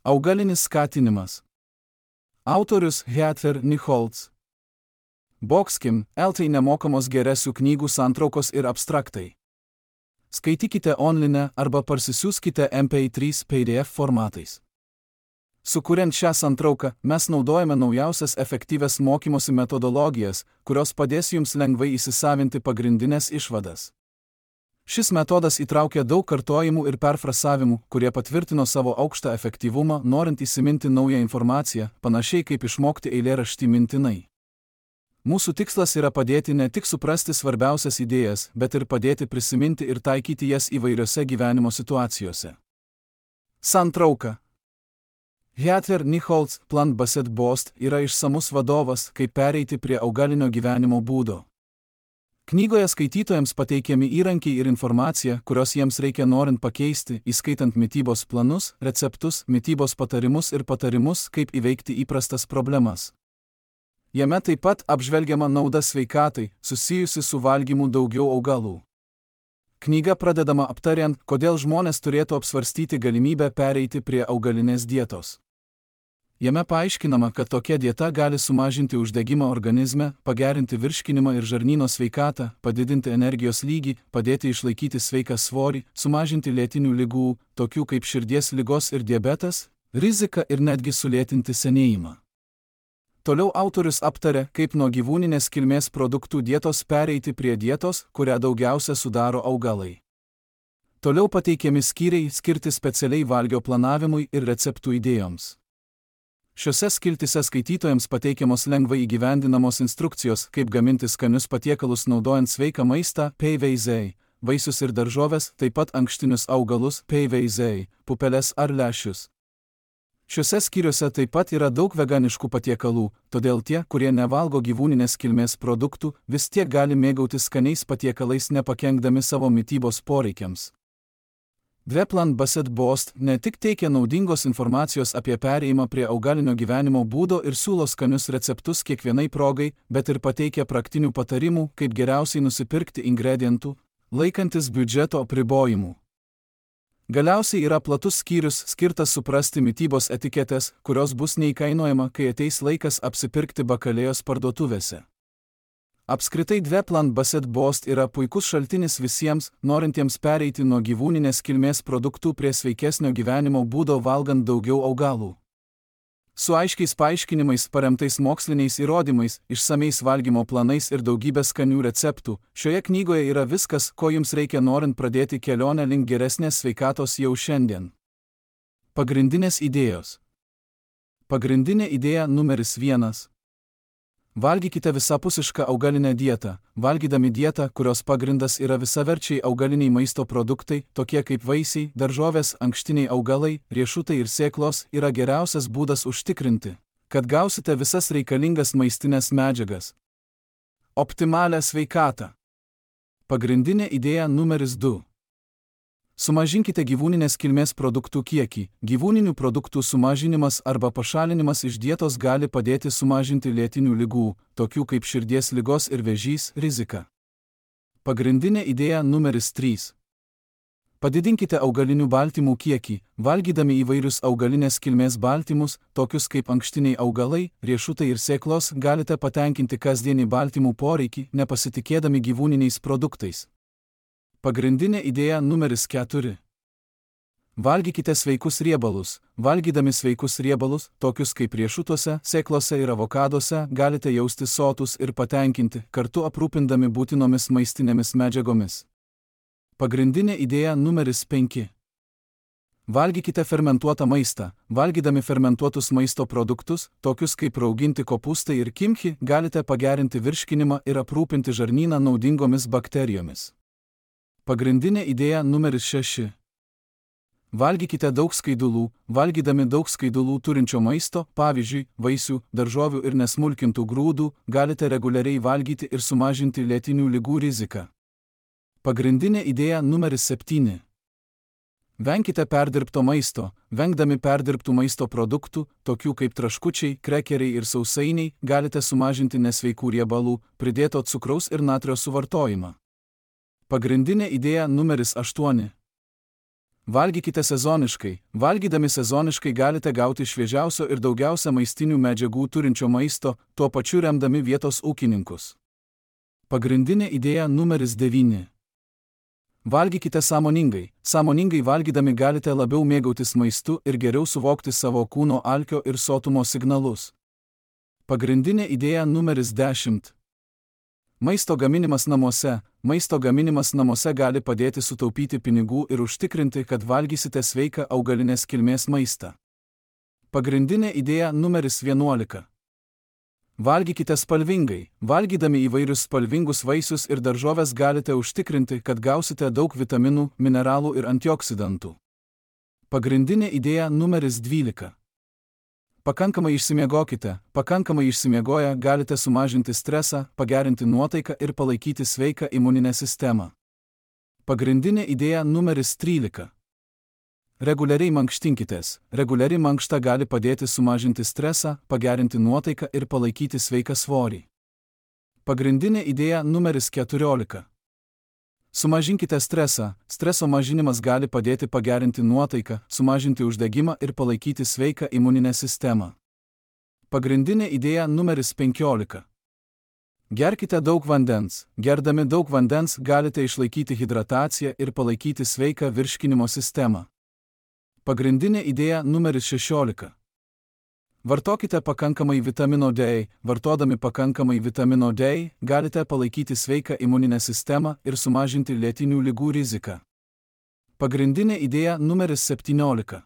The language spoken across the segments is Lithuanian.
Augalinis skatinimas. Autorius Heather Nichols. Boxkim, LT nemokamos geresių knygų santraukos ir abstraktai. Skaitykite online arba parsisiųskite MP3 PDF formatais. Sukuriant šią santrauką, mes naudojame naujausias efektyvias mokymosi metodologijas, kurios padės jums lengvai įsisavinti pagrindinės išvadas. Šis metodas įtraukia daug kartojimų ir perfrasavimų, kurie patvirtino savo aukštą efektyvumą, norint įsiminti naują informaciją, panašiai kaip išmokti eilėraštį mintinai. Mūsų tikslas yra padėti ne tik suprasti svarbiausias idėjas, bet ir padėti prisiminti ir taikyti jas įvairiose gyvenimo situacijose. Santrauka. Heather Nichols Plant Based Bost yra išsamus vadovas, kaip pereiti prie augalinio gyvenimo būdo. Knygoje skaitytojams pateikiami įrankiai ir informacija, kurios jiems reikia norint pakeisti, įskaitant mitybos planus, receptus, mitybos patarimus ir patarimus, kaip įveikti įprastas problemas. Jame taip pat apžvelgiama nauda sveikatai, susijusi su valgymu daugiau augalų. Knyga pradedama aptariant, kodėl žmonės turėtų apsvarstyti galimybę pereiti prie augalinės dietos. Jame paaiškinama, kad tokia dieta gali sumažinti uždegimą organizme, pagerinti virškinimą ir žarnyno sveikatą, padidinti energijos lygį, padėti išlaikyti sveiką svorį, sumažinti lėtinių ligų, tokių kaip širdies ligos ir diabetas, riziką ir netgi sulėtinti senėjimą. Toliau autorius aptarė, kaip nuo gyvūninės kilmės produktų dietos pereiti prie dietos, kurią daugiausia sudaro augalai. Toliau pateikiami skyriai skirti specialiai valgio planavimui ir receptų idėjoms. Šiuose skiltyse skaitytojams pateikiamos lengvai įgyvendinamos instrukcijos, kaip gaminti skanius patiekalus naudojant sveiką maistą, PVZ, vaisius ir daržoves, taip pat ankštinius augalus, PVZ, pupeles ar lęšius. Šiuose skyriuose taip pat yra daug veganiškų patiekalų, todėl tie, kurie nevalgo gyvūninės kilmės produktų, vis tiek gali mėgautis skaniais patiekalais nepakenkdami savo mitybos poreikiams. Plant Based Bost ne tik teikia naudingos informacijos apie perėjimą prie augalinio gyvenimo būdo ir siūlo skanius receptus kiekvienai progai, bet ir pateikia praktinių patarimų, kaip geriausiai nusipirkti ingredientų, laikantis biudžeto apribojimų. Galiausiai yra platus skyrius skirtas suprasti mitybos etiketės, kurios bus neįkainojama, kai ateis laikas apsipirkti bakalėjos parduotuvėse. Apskritai Plant Based Bost yra puikus šaltinis visiems, norintiems pereiti nuo gyvūninės kilmės produktų prie sveikesnio gyvenimo būdo valgant daugiau augalų. Su aiškiais paaiškinimais paremtais moksliniais įrodymais, išsamiais valgymo planais ir daugybė skanių receptų, šioje knygoje yra viskas, ko jums reikia norint pradėti kelionę link geresnės sveikatos jau šiandien. Pagrindinės idėjos. Pagrindinė idėja numeris 1. Valgykite visapusišką augalinę dietą. Valgydami dietą, kurios pagrindas yra visaverčiai augaliniai maisto produktai, tokie kaip vaisiai, daržovės, ankštiniai augalai, riešutai ir sėklos, yra geriausias būdas užtikrinti, kad gausite visas reikalingas maistinės medžiagas. Optimalią sveikatą. Pagrindinė idėja numeris 2. Sumažinkite gyvūninės kilmės produktų kiekį. Gyvūninių produktų sumažinimas arba pašalinimas iš dietos gali padėti sumažinti lėtinių ligų, tokių kaip širdies ligos ir vėžys, riziką. Pagrindinė idėja numeris 3. Padidinkite augalinių baltymų kiekį. Valgydami įvairius augalinės kilmės baltymus, tokius kaip ankštiniai augalai, riešutai ir sėklos, galite patenkinti kasdienį baltymų poreikį, nepasitikėdami gyvūniniais produktais. Pagrindinė idėja numeris 4. Valgykite sveikus riebalus. Valgydami sveikus riebalus, tokius kaip riešutuose, sėklose ir avokaduose, galite jaustis sotus ir patenkinti, kartu aprūpindami būtinomis maistinėmis medžiagomis. Pagrindinė idėja numeris 5. Valgykite fermentuotą maistą. Valgydami fermentuotus maisto produktus, tokius kaip rauginti kopūstai ir kimchi, galite pagerinti virškinimą ir aprūpinti žarnyną naudingomis bakterijomis. Pagrindinė idėja numeris 6. Valgykite daug skaidulų. Valgydami daug skaidulų turinčio maisto, pavyzdžiui, vaisių, daržovių ir nesmulkintų grūdų, galite reguliariai valgyti ir sumažinti lėtinių ligų riziką. Pagrindinė idėja numeris 7. Venkite perdirbto maisto. Vengdami perdirbtų maisto produktų, tokių kaip traškučiai, krekeriai ir sausainiai, galite sumažinti nesveikų riebalų, pridėto cukraus ir natrio suvartojimą. Pagrindinė idėja numeris 8. Valgykite sezoniškai. Valgydami sezoniškai galite gauti šviežiausio ir daugiausia maistinių medžiagų turinčio maisto, tuo pačiu remdami vietos ūkininkus. Pagrindinė idėja numeris 9. Valgykite sąmoningai. Sąmoningai valgydami galite labiau mėgautis maistu ir geriau suvokti savo kūno alkio ir sotumo signalus. Pagrindinė idėja numeris 10. Maisto gaminimas namuose. Maisto gaminimas namuose gali padėti sutaupyti pinigų ir užtikrinti, kad valgysite sveiką augalinės kilmės maistą. Pagrindinė idėja numeris 11. Valgykite spalvingai. Valgydami įvairius spalvingus vaisius ir daržoves galite užtikrinti, kad gausite daug vitaminų, mineralų ir antioksidantų. Pagrindinė idėja numeris 12. Pakankamai išsimiegokite. Pakankamai išsimiegoję galite sumažinti stresą, pagerinti nuotaiką ir palaikyti sveiką imuninę sistemą. Pagrindinė idėja numeris 13. Reguliariai mankštinkitės. Reguliari mankšta gali padėti sumažinti stresą, pagerinti nuotaiką ir palaikyti sveiką svorį. Pagrindinė idėja numeris 14. Sumažinkite stresą. Streso mažinimas gali padėti pagerinti nuotaiką, sumažinti uždegimą ir palaikyti sveiką imuninę sistemą. Pagrindinė idėja numeris 15. Gerkite daug vandens. Gerdami daug vandens galite išlaikyti hidrataciją ir palaikyti sveiką virškinimo sistemą. Pagrindinė idėja numeris 16. Vartokite pakankamai vitamino D. Vartodami pakankamai vitamino D galite palaikyti sveiką imuninę sistemą ir sumažinti lėtinių ligų riziką. Pagrindinė idėja numeris 17.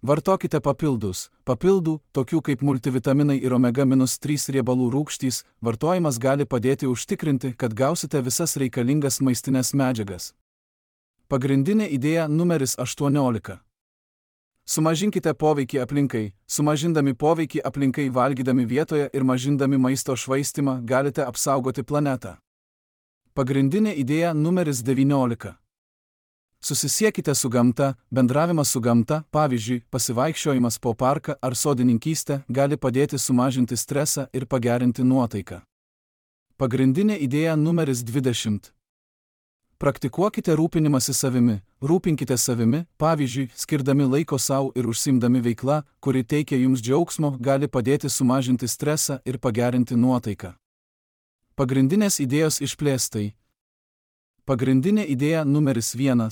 Vartokite papildus. Papildų, tokių kaip multivitaminai ir omega-3 riebalų rūgštys, vartojimas gali padėti užtikrinti, kad gausite visas reikalingas maistinės medžiagas. Pagrindinė idėja numeris 18. Sumažinkite poveikį aplinkai. Sumažindami poveikį aplinkai valgydami vietoje ir mažindami maisto švaistimą galite apsaugoti planetą. Pagrindinė idėja numeris 19. Susisiekite su gamta. Bendravimas su gamta, pavyzdžiui, pasivaikščiojimas po parką ar sodininkystę, gali padėti sumažinti stresą ir pagerinti nuotaiką. Pagrindinė idėja numeris 20. Praktikuokite rūpinimąsi savimi. Rūpinkite savimi, pavyzdžiui, skirdami laiko savo ir užsiimdami veikla, kuri teikia jums džiaugsmo, gali padėti sumažinti stresą ir pagerinti nuotaiką. Pagrindinės idėjos išplėstai. Pagrindinė idėja numeris 1.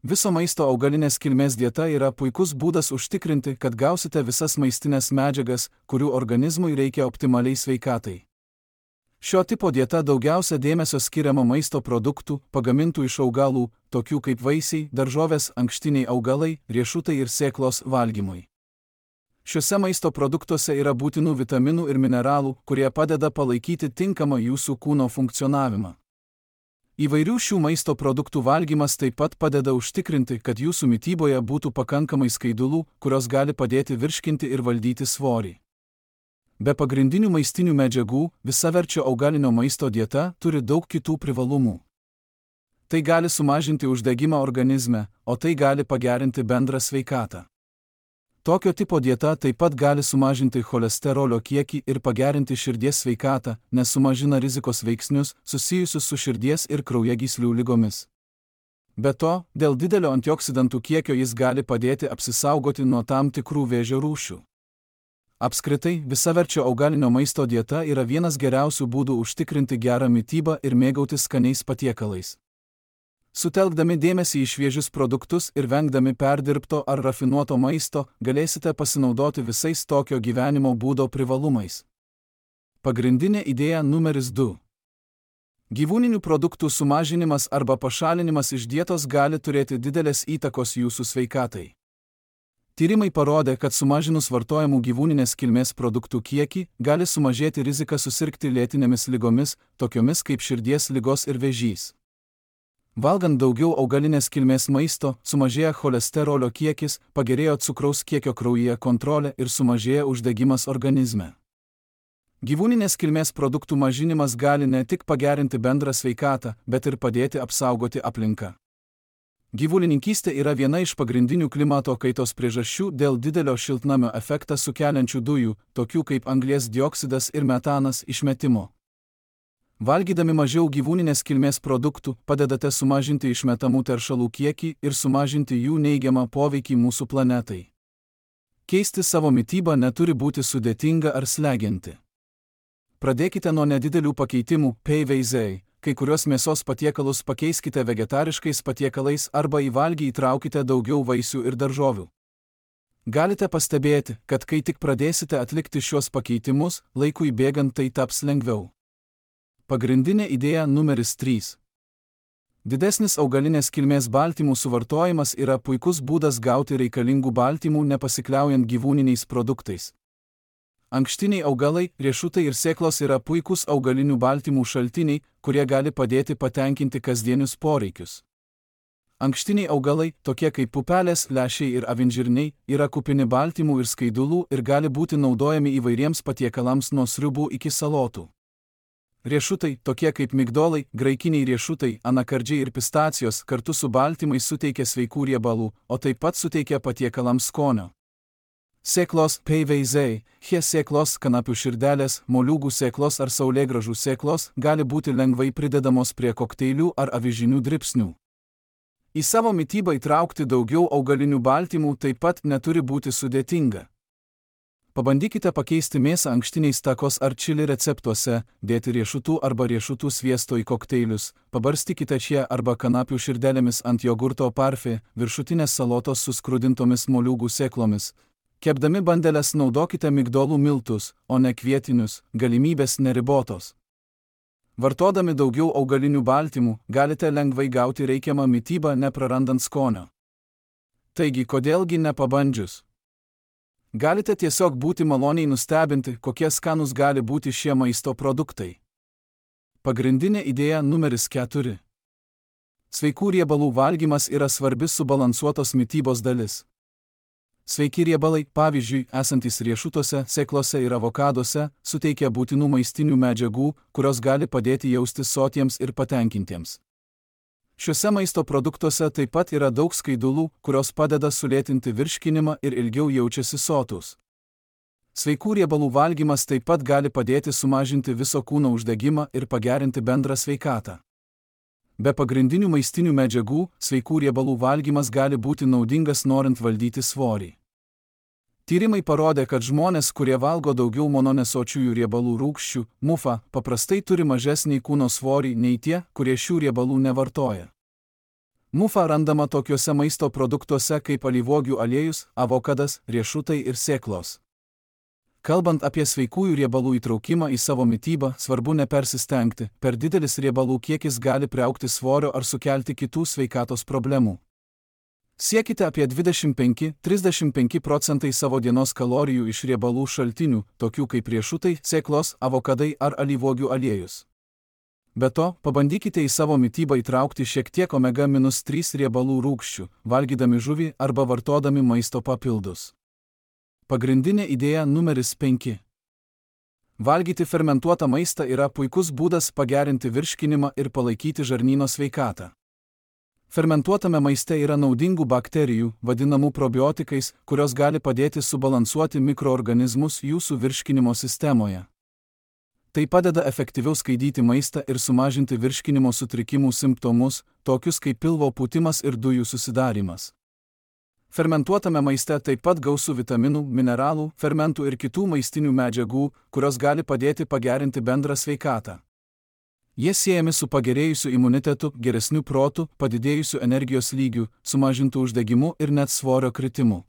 Viso maisto augalinės kilmės dieta yra puikus būdas užtikrinti, kad gausite visas maistinės medžiagas, kurių organizmui reikia optimaliai sveikatai. Šio tipo dieta daugiausia dėmesio skiriama maisto produktų, pagamintų iš augalų, tokių kaip vaisiai, daržovės, ankštiniai augalai, riešutai ir sėklos valgymui. Šiuose maisto produktuose yra būtinų vitaminų ir mineralų, kurie padeda palaikyti tinkamą jūsų kūno funkcionavimą. Įvairių šių maisto produktų valgymas taip pat padeda užtikrinti, kad jūsų mityboje būtų pakankamai skaidulų, kurios gali padėti virškinti ir valdyti svorį. Be pagrindinių maistinių medžiagų, visaverčio augalinio maisto dieta turi daug kitų privalumų. Tai gali sumažinti uždegimą organizme, o tai gali pagerinti bendrą sveikatą. Tokio tipo dieta taip pat gali sumažinti cholesterolio kiekį ir pagerinti širdies sveikatą, nes sumažina rizikos veiksnius susijusius su širdies ir kraujagyslių ligomis. Be to, dėl didelio antioksidantų kiekio jis gali padėti apsisaugoti nuo tam tikrų vėžio rūšių. Apskritai, visaverčio augalinio maisto dieta yra vienas geriausių būdų užtikrinti gerą mitybą ir mėgautis skaniais patiekalais. Sutelkdami dėmesį į šviežius produktus ir vengdami perdirbto ar rafinuoto maisto, galėsite pasinaudoti visais tokio gyvenimo būdo privalumais. Pagrindinė idėja numeris 2. Gyvūninių produktų sumažinimas arba pašalinimas iš dietos gali turėti didelės įtakos jūsų sveikatai. Tyrimai parodė, kad sumažinus vartojamų gyvūninės kilmės produktų kiekį, gali sumažėti rizika susirgti lėtinėmis ligomis, tokiomis kaip širdies ligos ir vėžys. Valgant daugiau augalinės kilmės maisto, sumažėja cholesterolio kiekis, pagerėjo cukraus kiekio kraujyje kontrolė ir sumažėja uždegimas organizme. Gyvūninės kilmės produktų mažinimas gali ne tik pagerinti bendrą sveikatą, bet ir padėti apsaugoti aplinką. Gyvulininkystė yra viena iš pagrindinių klimato kaitos priežasčių dėl didelio šiltnamio efektą sukeliančių dujų, tokių kaip anglies dioksidas ir metanas, išmetimo. Valgydami mažiau gyvūninės kilmės produktų, padedate sumažinti išmetamų teršalų kiekį ir sumažinti jų neigiamą poveikį mūsų planetai. Keisti savo mitybą neturi būti sudėtinga ar slegianti. Pradėkite nuo nedidelių pakeitimų, PVZ, kai kurios mėsos patiekalus pakeiskite vegetariškais patiekalais arba į valgį įtraukite daugiau vaisių ir daržovių. Galite pastebėti, kad kai tik pradėsite atlikti šios pakeitimus, laikui bėgant tai taps lengviau. Pagrindinė idėja numeris 3. Didesnis augalinės kilmės baltymų suvartojimas yra puikus būdas gauti reikalingų baltymų nepasikliaujant gyvūniniais produktais. Ankštiniai augalai, riešutai ir sėklos yra puikūs augalinių baltymų šaltiniai, kurie gali padėti patenkinti kasdienius poreikius. Ankštiniai augalai, tokie kaip pupelės, lęšiai ir avinžirniai, yra kupini baltymų ir skaidulų ir gali būti naudojami įvairiems patiekalams nuo sriubų iki salotų. Riešutai, tokie kaip migdolai, graikiniai riešutai, anakardžiai ir pistacijos, kartu su baltymais suteikia sveikų riebalų, o taip pat suteikia patiekalams skonio. Sėklos, PVZ, sėklos, kanapių širdelės, moliūgų sėklos ar saulėgrąžų sėklos gali būti lengvai pridedamos prie kokteilių ar avižinių dribsnių. Į savo mitybą įtraukti daugiau augalinių baltymų taip pat neturi būti sudėtinga. Pabandykite pakeisti mėsą ankštiniais takos ar čili receptuose, dėti riešutų arba riešutų sviesto į kokteilius, pabarstykite šie arba kanapių širdelėmis ant jogurto parfė, viršutinės salotos su skrudintomis moliūgų sėklomis. Kepdami bandeles naudokite migdolų miltus, o ne kvietinius, galimybės neribotos. Vartodami daugiau augalinių baltymų, galite lengvai gauti reikiamą mitybą neprarandant skonio. Taigi, kodėlgi nepabandžius? Galite tiesiog būti maloniai nustebinti, kokie skanūs gali būti šie maisto produktai. Pagrindinė idėja numeris 4. Sveikų riebalų valgymas yra svarbi subalansuotos mitybos dalis. Sveiki riebalai, pavyzdžiui, esantys riešutuose, sėklose ir avokaduose, suteikia būtinų maistinių medžiagų, kurios gali padėti jaustis sotiems ir patenkintiems. Šiuose maisto produktuose taip pat yra daug skaidulų, kurios padeda sulėtinti virškinimą ir ilgiau jaučiasi sotūs. Sveikų riebalų valgymas taip pat gali padėti sumažinti viso kūno uždegimą ir pagerinti bendrą sveikatą. Be pagrindinių maistinių medžiagų, sveikų riebalų valgymas gali būti naudingas norint valdyti svorį. Tyrimai parodė, kad žmonės, kurie valgo daugiau mononesočiųjų riebalų rūgščių, MUFA, paprastai turi mažesnį kūno svorį nei tie, kurie šių riebalų nevartoja. MUFA randama tokiuose maisto produktuose kaip alyvuogių aliejus, avokadas, riešutai ir sėklos. Kalbant apie sveikųjų riebalų įtraukimą į savo mitybą, svarbu nepersistengti, per didelis riebalų kiekis gali priaugti svorio ar sukelti kitų sveikatos problemų. Siekite apie 25–35% savo dienos kalorijų iš riebalų šaltinių, tokių kaip riešutai, sėklos, avokadai ar alyvuogių aliejus. Be to, pabandykite į savo mitybą įtraukti šiek tiek omega-3 riebalų rūgščių, valgydami žuvį arba vartodami maisto papildus. Pagrindinė idėja numeris 5. Valgyti fermentuotą maistą yra puikus būdas pagerinti virškinimą ir palaikyti žarnyno sveikatą. Fermentuotame maiste yra naudingų bakterijų, vadinamų probiotikais, kurios gali padėti subalansuoti mikroorganizmus jūsų virškinimo sistemoje. Tai padeda efektyviau skaidyti maistą ir sumažinti virškinimo sutrikimų simptomus, tokius kaip pilvo pūtimas ir dujų susidarimas. Fermentuotame maiste taip pat gausu vitaminų, mineralų, fermentų ir kitų maistinių medžiagų, kurios gali padėti pagerinti bendrą sveikatą. Jie siejami su pagerėjusiu imunitetu, geresniu protu, padidėjusiu energijos lygiu, sumažintu uždegimu ir net svorio kritimu.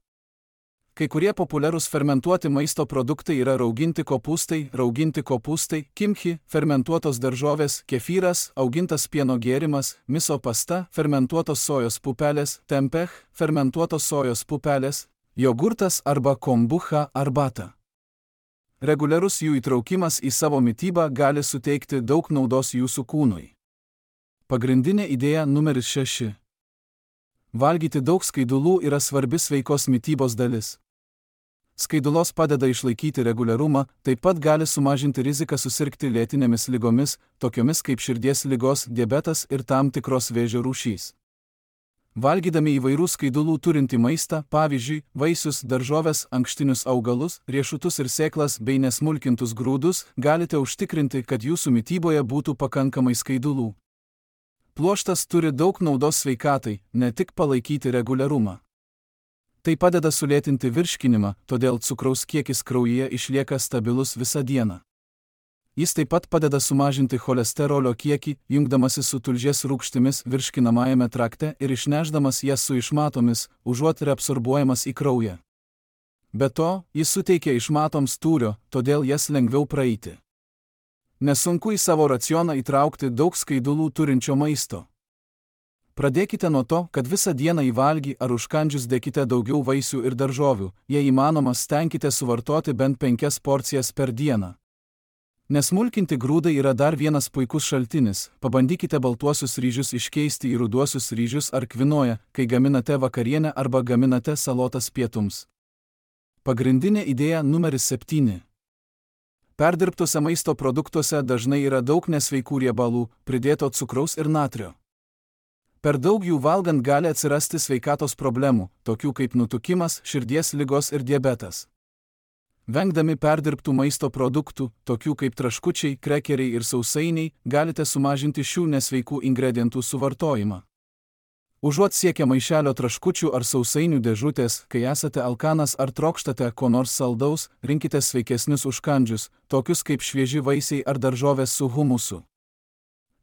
Kai kurie populiarūs fermentuoti maisto produktai yra rauginti kopūstai, kimchi, fermentuotos daržovės, kefyras, augintas pieno gėrimas, miso pasta, fermentuotos sojos pupelės, tempeh, fermentuotos sojos pupelės, jogurtas arba kombucha arbata. Reguliarus jų įtraukimas į savo mitybą gali suteikti daug naudos jūsų kūnui. Pagrindinė idėja numeris 6. Valgyti daug skaidulų yra svarbi sveikos mitybos dalis. Skaidulos padeda išlaikyti reguliarumą, taip pat gali sumažinti riziką susirgti lėtinėmis ligomis, tokiomis kaip širdies ligos, diabetas ir tam tikros vėžio rūšys. Valgydami įvairių skaidulų turintį maistą, pavyzdžiui, vaisius, daržoves, ankštinius augalus, riešutus ir sėklas bei nesmulkintus grūdus, galite užtikrinti, kad jūsų mityboje būtų pakankamai skaidulų. Pluoštas turi daug naudos sveikatai, ne tik palaikyti reguliarumą. Tai padeda sulėtinti virškinimą, todėl cukraus kiekis kraujyje išlieka stabilus visą dieną. Jis taip pat padeda sumažinti cholesterolio kiekį, jungdamasi su tulžies rūgštimis virškinamajame trakte ir išnešdamas jas su išmatomis, užuot reabsorbuojamas į kraują. Be to, jis suteikia išmatoms tūrio, todėl jas lengviau praeiti. Nesunku į savo racioną įtraukti daug skaidulų turinčio maisto. Pradėkite nuo to, kad visą dieną į valgį ar užkandžius dėkite daugiau vaisių ir daržovių, jei įmanoma stenkite suvartoti bent 5 porcijas per dieną. Nesmulkinti grūdai yra dar vienas puikus šaltinis, pabandykite baltuosius ryžius iškeisti į ruduosius ryžius ar kvinoją, kai gaminate vakarienę arba gaminate salotas pietums. Pagrindinė idėja numeris 7. Perdirbtuose maisto produktuose dažnai yra daug nesveikų riebalų, pridėto cukraus ir natrio. Per daug jų valgant gali atsirasti sveikatos problemų, tokių kaip nutukimas, širdies ligos ir diabetas. Vengdami perdirbtų maisto produktų, tokių kaip traškučiai, krekeriai ir sausainiai, galite sumažinti šių nesveikų ingredientų suvartojimą. Užuot siekę maišelio traškučių ar sausainių dėžutės, kai esate alkanas ar trokštate ko nors saldaus, rinkite sveikesnius užkandžius, tokius kaip švieži vaisiai ar daržovės su humusu.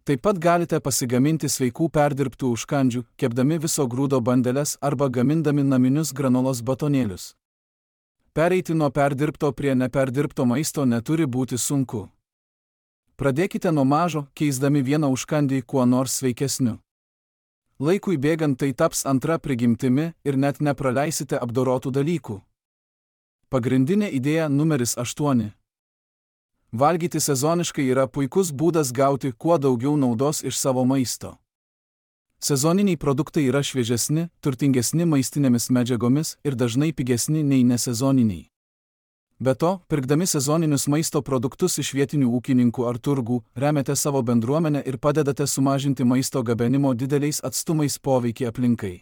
Taip pat galite pasigaminti sveikų perdirbtų užkandžių, kepdami viso grūdo bandeles arba gamindami naminius granolos batonėlius. Pereiti nuo perdirbto prie neperdirbto maisto neturi būti sunku. Pradėkite nuo mažo, keisdami vieną užkandį kuo nors sveikesniu. Laikui bėgant tai taps antra prigimtimi ir net nepraleisite apdorotų dalykų. Pagrindinė idėja numeris 8. Valgyti sezoniškai yra puikus būdas gauti kuo daugiau naudos iš savo maisto. Sezoniniai produktai yra šviežesni, turtingesni maistinėmis medžiagomis ir dažnai pigesni nei nesezoniniai. Be to, pirkdami sezoninius maisto produktus iš vietinių ūkininkų ar turgų, remiate savo bendruomenę ir padedate sumažinti maisto gabenimo dideliais atstumais poveikį aplinkai.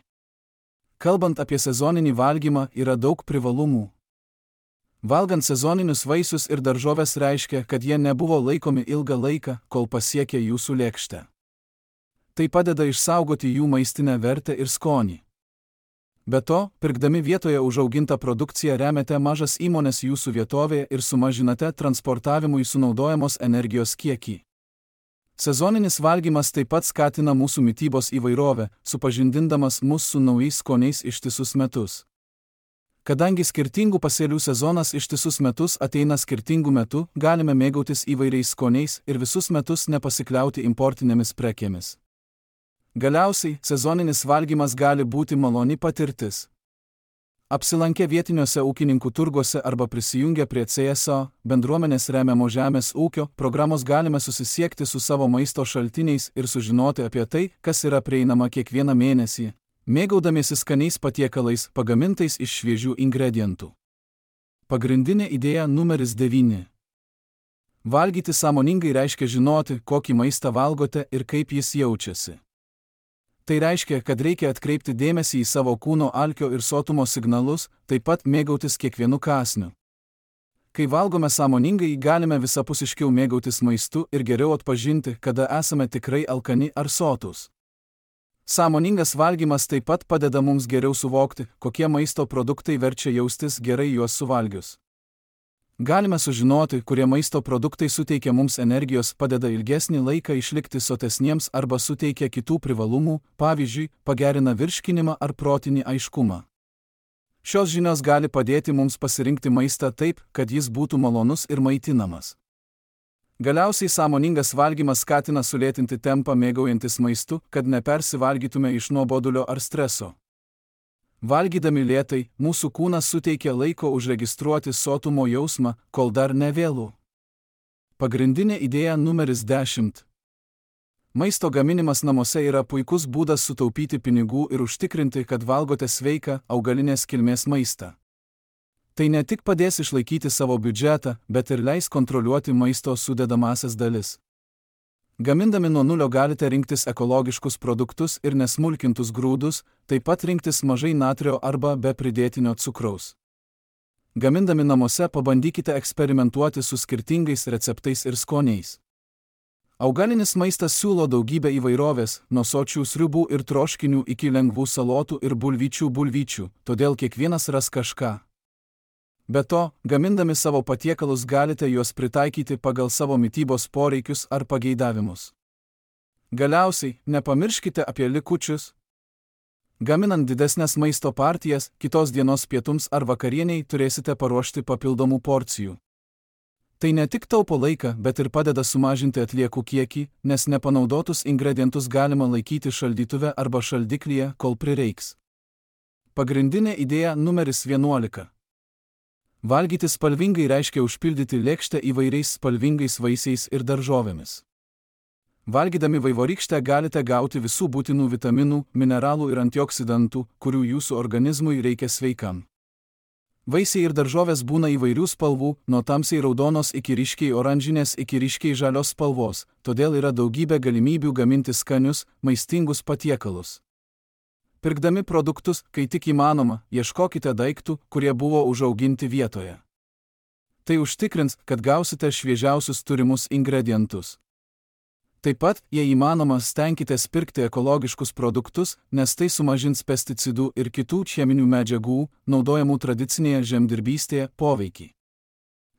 Kalbant apie sezoninį valgymą, yra daug privalumų. Valgant sezoninius vaisius ir daržoves reiškia, kad jie nebuvo laikomi ilgą laiką, kol pasiekė jūsų lėkštę. Tai padeda išsaugoti jų maistinę vertę ir skonį. Be to, pirkdami vietoje užaugintą produkciją remiate mažas įmones jūsų vietovėje ir sumažinate transportavimui sunaudojamos energijos kiekį. Sezoninis valgymas taip pat skatina mūsų mitybos įvairovę, supažindindamas mus su naujais skoniais ištisus metus. Kadangi skirtingų pasėlių sezonas ištisus metus ateina skirtingų metų, galime mėgautis įvairiais skoniais ir visus metus nepasikliauti importinėmis prekėmis. Galiausiai, sezoninis valgymas gali būti maloni patirtis. Apsilankę vietiniuose ūkininkų turguose arba prisijungę prie CSO, bendruomenės remiamo žemės ūkio, programos galime susisiekti su savo maisto šaltiniais ir sužinoti apie tai, kas yra prieinama kiekvieną mėnesį, mėgaudamiesi skaniais patiekalais pagamintais iš šviežių ingredientų. Pagrindinė idėja numeris 9. Valgyti sąmoningai reiškia žinoti, kokį maistą valgote ir kaip jis jaučiasi. Tai reiškia, kad reikia atkreipti dėmesį į savo kūno alkio ir sotumo signalus, taip pat mėgautis kiekvienu kąsniu. Kai valgome sąmoningai, galime visapusiškiau mėgautis maistu ir geriau atpažinti, kada esame tikrai alkani ar sotūs. Sąmoningas valgymas taip pat padeda mums geriau suvokti, kokie maisto produktai verčia jaustis gerai juos suvalgius. Galime sužinoti, kurie maisto produktai suteikia mums energijos, padeda ilgesnį laiką išlikti sotesniems arba suteikia kitų privalumų, pavyzdžiui, pagerina virškinimą ar protinį aiškumą. Šios žinios gali padėti mums pasirinkti maistą taip, kad jis būtų malonus ir maitinamas. Galiausiai sąmoningas valgymas skatina sulėtinti tempą mėgaujantis maistu, kad nepersivalgytume iš nuobodulio ar streso. Valgydami lėtai, mūsų kūnas suteikia laiko užregistruoti sotumo jausmą, kol dar nevėlu. Pagrindinė idėja numeris 10. Maisto gaminimas namuose yra puikus būdas sutaupyti pinigų ir užtikrinti, kad valgote sveiką, augalinės kilmės maistą. Tai ne tik padės išlaikyti savo biudžetą, bet ir leis kontroliuoti maisto sudedamąsias dalis. Gamindami nuo nulio galite rinktis ekologiškus produktus ir nesmulkintus grūdus, taip pat rinktis mažai natrio arba be pridėtinio cukraus. Gamindami namuose pabandykite eksperimentuoti su skirtingais receptais ir skoniais. Augalinis maistas siūlo daugybę įvairovės, nuo sočių sriubų ir troškinių iki lengvų salotų ir bulvyčių, todėl kiekvienas ras kažką. Be to, gamindami savo patiekalus galite juos pritaikyti pagal savo mitybos poreikius ar pageidavimus. Galiausiai, nepamirškite apie likučius. Gaminant didesnės maisto partijas, kitos dienos pietums ar vakarieniai turėsite paruošti papildomų porcijų. Tai ne tik taupo laiką, bet ir padeda sumažinti atliekų kiekį, nes nepanaudotus ingredientus galima laikyti šaldytuve arba šaldiklyje, kol prireiks. Pagrindinė idėja numeris 11. Valgyti spalvingai reiškia užpildyti lėkštę įvairiais spalvingais vaisiais ir daržovėmis. Valgydami vaivorykštę galite gauti visų būtinų vitaminų, mineralų ir antioksidantų, kurių jūsų organizmui reikia sveikam. Vaisiai ir daržovės būna įvairių spalvų, nuo tamsiai raudonos iki ryškiai oranžinės iki ryškiai žalios spalvos, todėl yra daugybė galimybių gaminti skanius, maistingus patiekalus. Pirkdami produktus, kai tik įmanoma, ieškokite daiktų, kurie buvo užauginti vietoje. Tai užtikrins, kad gausite šviežiausius turimus ingredientus. Taip pat, jei įmanoma, stenkitės pirkti ekologiškus produktus, nes tai sumažins pesticidų ir kitų cheminių medžiagų, naudojamų tradicinėje žemdirbystėje, poveikį.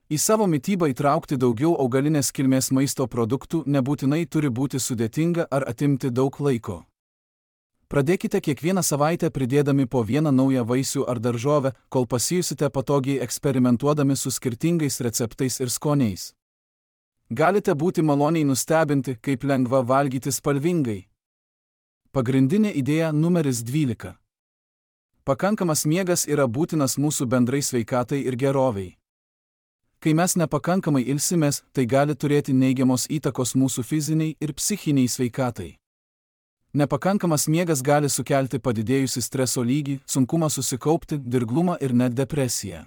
Į savo mitybą įtraukti daugiau augalinės kilmės maisto produktų nebūtinai turi būti sudėtinga ar atimti daug laiko. Pradėkite kiekvieną savaitę pridėdami po vieną naują vaisių ar daržovę, kol pasijusite patogiai eksperimentuodami su skirtingais receptais ir skoniais. Galite būti maloniai nustebinti, kaip lengva valgyti spalvingai. Pagrindinė idėja numeris 12. Pakankamas miegas yra būtinas mūsų bendrai sveikatai ir geroviai. Kai mes nepakankamai ilsimės, tai gali turėti neigiamos įtakos mūsų fiziniai ir psichiniai sveikatai. Nepakankamas miegas gali sukelti padidėjusį streso lygį, sunkumą susikaupti, dirglumą ir net depresiją.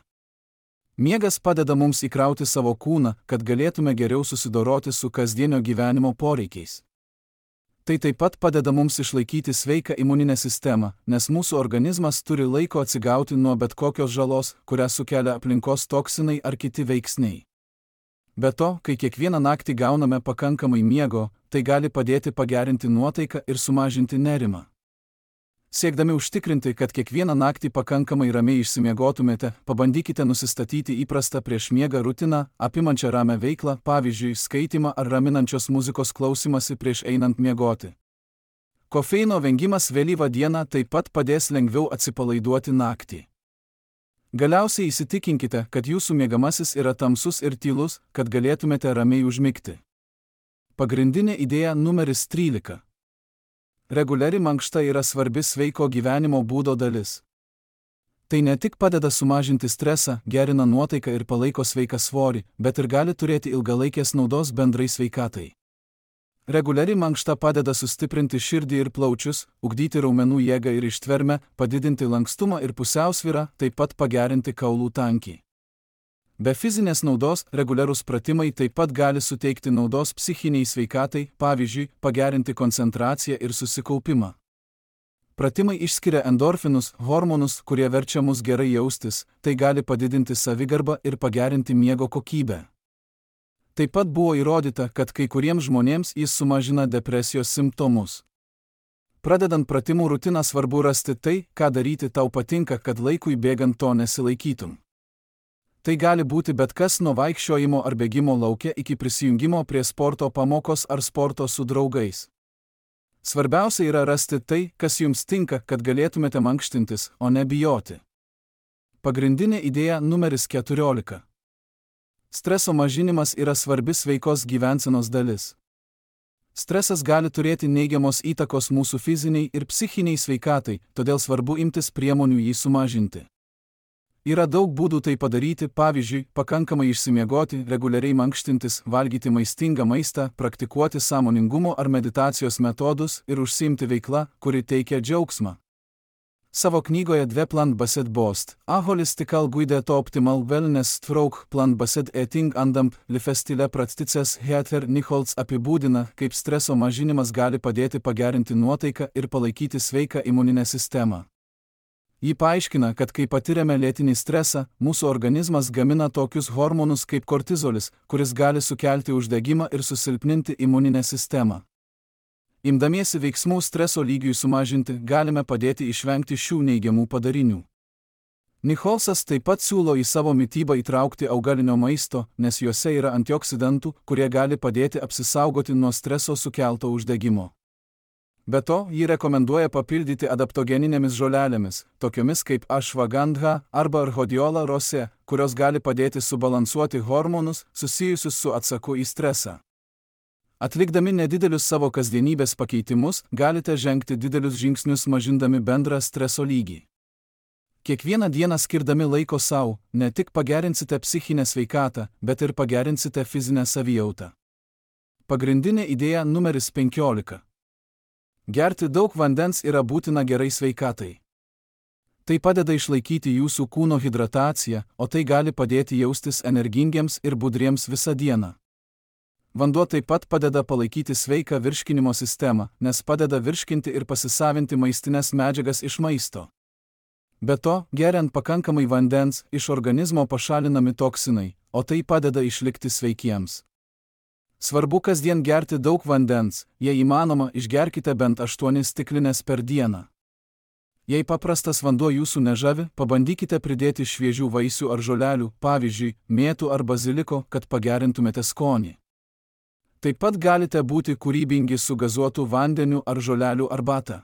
Miegas padeda mums įkrauti savo kūną, kad galėtume geriau susidoroti su kasdienio gyvenimo poreikiais. Tai taip pat padeda mums išlaikyti sveiką imuninę sistemą, nes mūsų organizmas turi laiko atsigauti nuo bet kokios žalos, kurią sukelia aplinkos toksinai ar kiti veiksniai. Be to, kai kiekvieną naktį gauname pakankamai miego, tai gali padėti pagerinti nuotaiką ir sumažinti nerimą. Siekdami užtikrinti, kad kiekvieną naktį pakankamai ramiai išsimiegotumėte, pabandykite nusistatyti įprastą prieš miegą rutiną, apimančią ramią veiklą, pavyzdžiui, skaitymą ar raminančios muzikos klausymąsi prieš einant miegoti. Kofeino vengimas vėlyvą dieną taip pat padės lengviau atsipalaiduoti naktį. Galiausiai įsitikinkite, kad jūsų miegamasis yra tamsus ir tylus, kad galėtumėte ramiai užmigti. Pagrindinė idėja numeris 13. Reguliari mankšta yra svarbi sveiko gyvenimo būdo dalis. Tai ne tik padeda sumažinti stresą, gerina nuotaiką ir palaiko sveiką svorį, bet ir gali turėti ilgalaikės naudos bendrai sveikatai. Reguliari mankšta padeda sustiprinti širdį ir plaučius, ugdyti raumenų jėgą ir ištvermę, padidinti lankstumą ir pusiausvyrą, taip pat pagerinti kaulų tankį. Be fizinės naudos, reguliarūs pratimai taip pat gali suteikti naudos psichiniai sveikatai, pavyzdžiui, pagerinti koncentraciją ir susikaupimą. Pratimai išskiria endorfinus, hormonus, kurie verčia mus gerai jaustis, tai gali padidinti savigarbą ir pagerinti miego kokybę. Taip pat buvo įrodyta, kad kai kuriems žmonėms jis sumažina depresijos simptomus. Pradedant pratimų rutiną svarbu rasti tai, ką daryti tau patinka, kad laikui bėgant to nesilaikytum. Tai gali būti bet kas nuo vaikščiojimo ar bėgimo lauke iki prisijungimo prie sporto pamokos ar sporto su draugais. Svarbiausia yra rasti tai, kas jums tinka, kad galėtumėte mankštintis, o ne bijoti. Pagrindinė idėja numeris 14. Streso mažinimas yra svarbi sveikos gyvensenos dalis. Stresas gali turėti neigiamos įtakos mūsų fiziniai ir psichiniai sveikatai, todėl svarbu imtis priemonių jį sumažinti. Yra daug būdų tai padaryti, pavyzdžiui, pakankamai išsimiegoti, reguliariai mankštintis, valgyti maistingą maistą, praktikuoti sąmoningumo ar meditacijos metodus ir užsiimti veikla, kuri teikia džiaugsmą. Savo knygoje Dve plant-based bost, a holistical guide to optimal wellness stroke plant-based eating andamp lifestyle practices Heather Nichols apibūdina, kaip streso mažinimas gali padėti pagerinti nuotaiką ir palaikyti sveiką imuninę sistemą. Ji paaiškina, kad kai patiriame lėtinį stresą, mūsų organizmas gamina tokius hormonus kaip kortizolis, kuris gali sukelti uždegimą ir susilpninti imuninę sistemą. Imdamiesi veiksmų streso lygiui sumažinti, galime padėti išvengti šių neigiamų padarinių. Nicholsas taip pat siūlo į savo mitybą įtraukti augalinio maisto, nes juose yra antioksidantų, kurie gali padėti apsisaugoti nuo streso sukelto uždegimo. Be to, ji rekomenduoja papildyti adaptogeninėmis žolelėmis, tokiomis kaip ashwagandha arba rhodiola rosė, kurios gali padėti subalansuoti hormonus susijusius su atsaku į stresą. Atlikdami nedidelius savo kasdienybės pakeitimus, galite žengti didelius žingsnius mažindami bendrą streso lygį. Kiekvieną dieną skirdami laiko sau, ne tik pagerinsite psichinę sveikatą, bet ir pagerinsite fizinę savijautą. Pagrindinė idėja numeris 15. Gerti daug vandens yra būtina gerai sveikatai. Tai padeda išlaikyti jūsų kūno hidrataciją, o tai gali padėti jaustis energingiems ir budriems visą dieną. Vanduo taip pat padeda palaikyti sveiką virškinimo sistemą, nes padeda virškinti ir pasisavinti maistinės medžiagas iš maisto. Be to, geriant pakankamai vandens, iš organizmo pašalinami toksinai, o tai padeda išlikti sveikiems. Svarbu kasdien gerti daug vandens, jei įmanoma, išgerkite bent 8 stiklines per dieną. Jei paprastas vanduo jūsų nežavi, pabandykite pridėti šviežių vaisių ar žolelių, pavyzdžiui, mėtų ar baziliko, kad pagerintumėte skonį. Taip pat galite būti kūrybingi su gazuotu vandeniu ar žolelių arbata.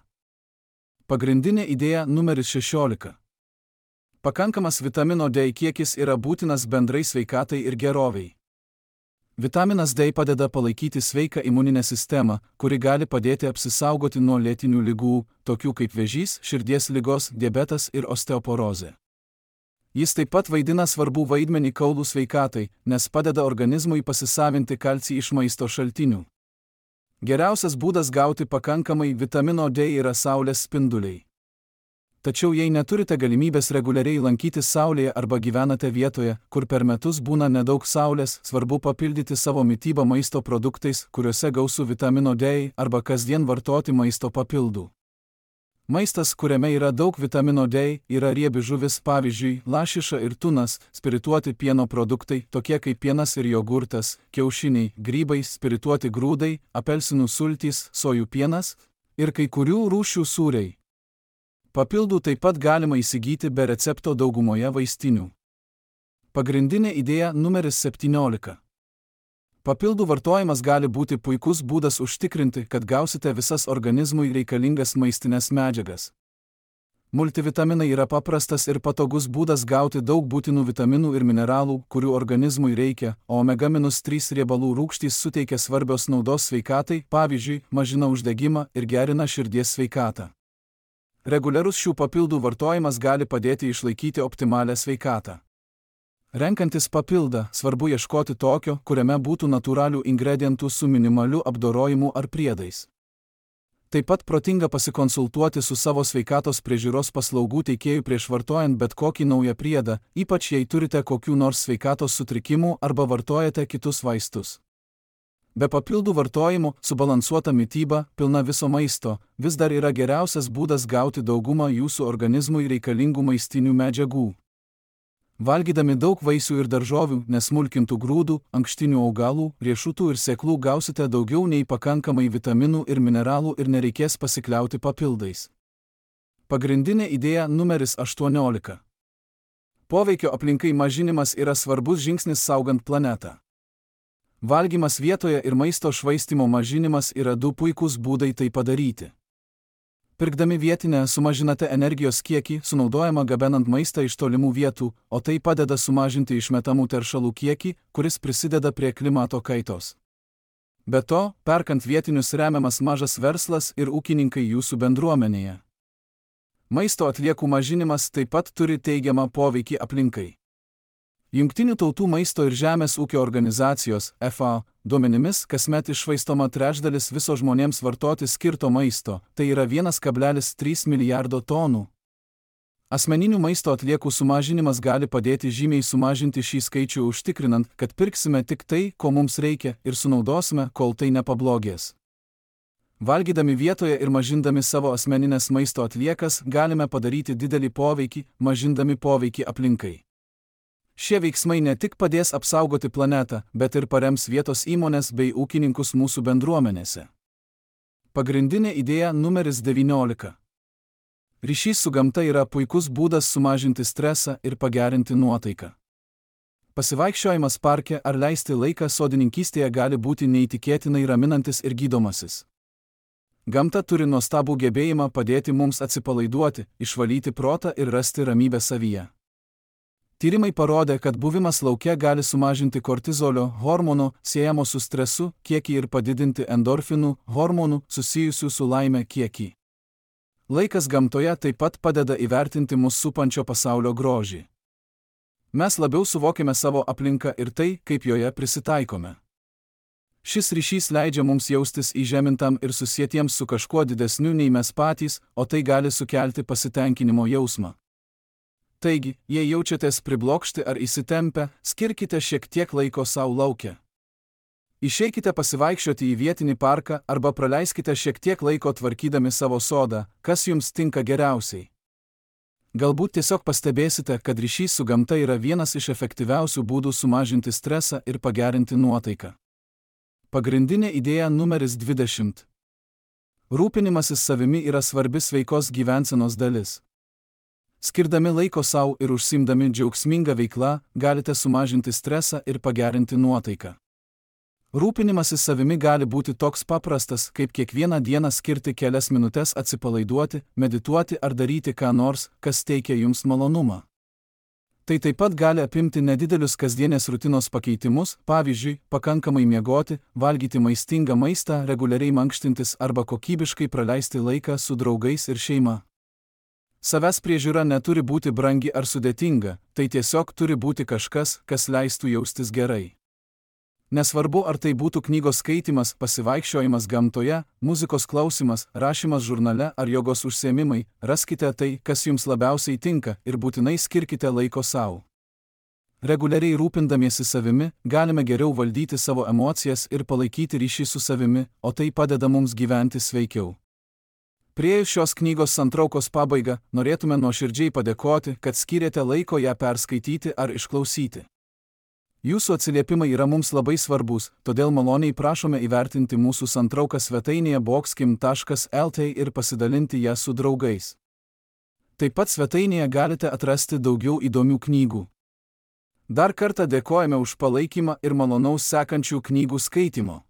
Pagrindinė idėja numeris 16. Pakankamas vitamino D kiekis yra būtinas bendrai sveikatai ir geroviai. Vitaminas D padeda palaikyti sveiką imuninę sistemą, kuri gali padėti apsisaugoti nuo lėtinių ligų, tokių kaip vėžys, širdies ligos, diabetas ir osteoporozė. Jis taip pat vaidina svarbų vaidmenį kaulų sveikatai, nes padeda organizmui pasisavinti kalcį iš maisto šaltinių. Geriausias būdas gauti pakankamai vitamino D yra saulės spinduliai. Tačiau jei neturite galimybės reguliariai lankytis saulėje arba gyvenate vietoje, kur per metus būna nedaug saulės, svarbu papildyti savo mitybą maisto produktais, kuriuose gausu vitamino D, arba kasdien vartoti maisto papildų. Maistas, kuriame yra daug vitamino D, yra riebi žuvis, pavyzdžiui, lašiša ir tunas, spirituoti pieno produktai, tokie kaip pienas ir jogurtas, kiaušiniai, grybai, spirituoti grūdai, apelsinų sultys, sojų pienas ir kai kurių rūšių sūriai. Papildų taip pat galima įsigyti be recepto daugumoje vaistinių. Pagrindinė idėja numeris 17. Papildų vartojimas gali būti puikus būdas užtikrinti, kad gausite visas organizmui reikalingas maistinės medžiagas. Multivitaminai yra paprastas ir patogus būdas gauti daug būtinų vitaminų ir mineralų, kurių organizmui reikia, o omega-3 riebalų rūgštys suteikia svarbios naudos sveikatai, pavyzdžiui, mažina uždegimą ir gerina širdies sveikatą. Reguliarus šių papildų vartojimas gali padėti išlaikyti optimalią sveikatą. Renkantis papildą, svarbu ieškoti tokio, kuriame būtų natūralių ingredientų su minimaliu apdorojimu ar priedais. Taip pat protinga pasikonsultuoti su savo sveikatos priežiūros paslaugų teikėju prieš vartojant bet kokį naują priedą, ypač jei turite kokių nors sveikatos sutrikimų arba vartojate kitus vaistus. Be papildų vartojimo, subalansuota mityba, pilna viso maisto, vis dar yra geriausias būdas gauti daugumą jūsų organizmui reikalingų maistinių medžiagų. Valgydami daug vaisių ir daržovių, nesmulkintų grūdų, ankštinių augalų, riešutų ir sėklų gausite daugiau nei pakankamai vitaminų ir mineralų ir nereikės pasikliauti papildais. Pagrindinė idėja numeris 18. Poveikio aplinkai mažinimas yra svarbus žingsnis saugant planetą. Valgymas vietoje ir maisto švaistymo mažinimas yra du puikūs būdai tai padaryti. Pirkdami vietinę sumažinate energijos kiekį, sunaudojama gabenant maistą iš tolimų vietų, o tai padeda sumažinti išmetamų teršalų kiekį, kuris prisideda prie klimato kaitos. Be to, perkant vietinius remiamas mažas verslas ir ūkininkai jūsų bendruomenėje. Maisto atliekų mažinimas taip pat turi teigiamą poveikį aplinkai. Jungtinių tautų maisto ir žemės ūkio organizacijos FAO duomenimis kasmet iššvaistoma trečdalis viso žmonėms vartoti skirto maisto, tai yra 1,3 milijardo tonų. Asmeninių maisto atliekų sumažinimas gali padėti žymiai sumažinti šį skaičių, užtikrinant, kad pirksime tik tai, ko mums reikia, ir sunaudosime, kol tai nepablogės. Valgydami vietoje ir mažindami savo asmeninės maisto atliekas galime padaryti didelį poveikį, mažindami poveikį aplinkai. Šie veiksmai ne tik padės apsaugoti planetą, bet ir parems vietos įmonės bei ūkininkus mūsų bendruomenėse. Pagrindinė idėja numeris 19. Ryšys su gamta yra puikus būdas sumažinti stresą ir pagerinti nuotaiką. Pasivaikščiojimas parke ar leisti laiką sodininkystėje gali būti neįtikėtinai raminantis ir gydomasis. Gamta turi nuostabų gebėjimą padėti mums atsipalaiduoti, išvalyti protą ir rasti ramybę savyje. Tyrimai parodė, kad buvimas lauke gali sumažinti kortizolio hormono siejamo su stresu kiekį ir padidinti endorfinų hormonų susijusių su laime kiekį. Laikas gamtoje taip pat padeda įvertinti mus supančio pasaulio grožį. Mes labiau suvokiame savo aplinką ir tai, kaip joje prisitaikome. Šis ryšys leidžia mums jaustis įžemintam ir susietiems su kažkuo didesniu nei mes patys, o tai gali sukelti pasitenkinimo jausmą. Taigi, jei jaučiatės priblokšti ar įsitempę, skirkite šiek tiek laiko savo lauke. Išeikite pasivaikščioti į vietinį parką arba praleiskite šiek tiek laiko tvarkydami savo sodą, kas jums tinka geriausiai. Galbūt tiesiog pastebėsite, kad ryšys su gamta yra vienas iš efektyviausių būdų sumažinti stresą ir pagerinti nuotaiką. Pagrindinė idėja numeris 20. Rūpinimasis savimi yra svarbi sveikos gyvensenos dalis. Skirdami laiko savo ir užsiimdami džiaugsmingą veiklą, galite sumažinti stresą ir pagerinti nuotaiką. Rūpinimasis savimi gali būti toks paprastas, kaip kiekvieną dieną skirti kelias minutes atsipalaiduoti, medituoti ar daryti ką nors, kas teikia jums malonumą. Tai taip pat gali apimti nedidelius kasdienės rutinos pakeitimus, pavyzdžiui, pakankamai miegoti, valgyti maistingą maistą, reguliariai mankštintis arba kokybiškai praleisti laiką su draugais ir šeima. Savęs priežiūra neturi būti brangi ar sudėtinga, tai tiesiog turi būti kažkas, kas leistų jaustis gerai. Nesvarbu, ar tai būtų knygos skaitymas, pasivaikščiojimas gamtoje, muzikos klausimas, rašymas žurnale ar jogos užsiėmimai, raskite tai, kas jums labiausiai tinka ir būtinai skirkite laiko savo. Reguliariai rūpindamiesi savimi, galime geriau valdyti savo emocijas ir palaikyti ryšį su savimi, o tai padeda mums gyventi sveikiau. Priėjus šios knygos santraukos pabaigą, norėtume nuoširdžiai padėkoti, kad skyrėte laiko ją perskaityti ar išklausyti. Jūsų atsiliepimai yra mums labai svarbus, todėl maloniai prašome įvertinti mūsų santrauką svetainėje boxkim.lt ir pasidalinti ją su draugais. Taip pat svetainėje galite atrasti daugiau įdomių knygų. Dar kartą dėkojame už palaikymą ir malonaus sekančių knygų skaitimo.